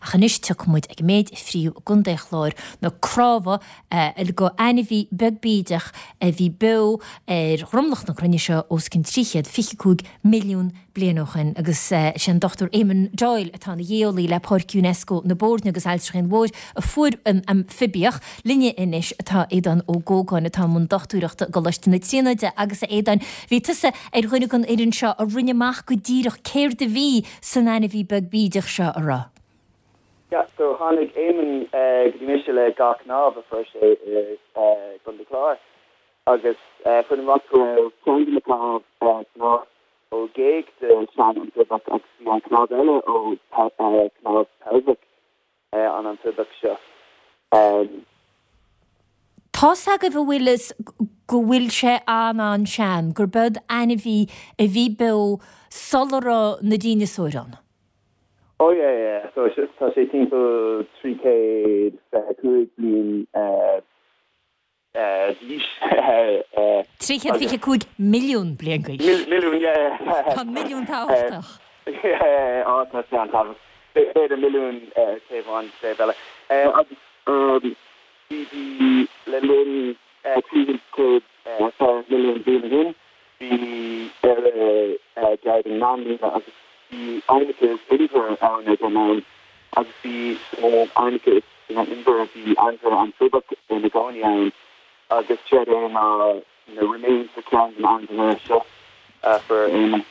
Ach anois tiocfaidh muid ag an méid a fríodh i gContae an Chláir, na cnámha go ainmhí beag bídeach a bhí beo ar dhromlach na cruinne seo os cionn 325 milliún bliain ó shin. Agus is é an Dr Eamon Doyle atá ina ghéolaí le Páirc Unesco na Boirne agus Ailltreach an Mhóir a fuair an amfaibiach. Linne anois atá Aodán Ó Gógáin atá i mbun dochtúireachta i gColáiste na Tríonóide agus a Aodáin, bhí tusa ar dhuine den fhoireann seo a rinne amach go díreach céard a bhí san ainmhí beag bídeach seo, a raibh? Yeah, so tháinig Eamon go dtí mise le dhá chnámh a fuair sé i gContae Chláir agus fuair amach go raibh ceann de na cnámh cnámh ó ghéag de shean-amfaibiach agus bhí an cnámh eile ó cnámh peilbheach an amfaibiach seo. Tá's agaibh an bhfuil fhios go bhfuil sé an-an-sean, gurb eod ainmhí a bhí beo sula raibh na díneasóir ann. Oh yeah yeah so tá sé timpeall 325 bliain d'aois. 325 milliún bliain d'aois. Milliún yeah yeah. Tá an milliún tábhachtach. Yeah oh tá sé an-tábhachtach. B'fhéidir milliún taobh amháin taobh eile. Agus bhí bhí le linn 300 milliún bliain ó shin Bhí Éire gar don meánlíne agus bhí aibhneacha is inbhir ann ag an am agus bhí sna haibhneacha is sna inbhir bhí ainmhithe amfaibiach ina gcónaí ann agus séard é ná na remains de cheann de na ainmhithe seo a fuair Éamonn.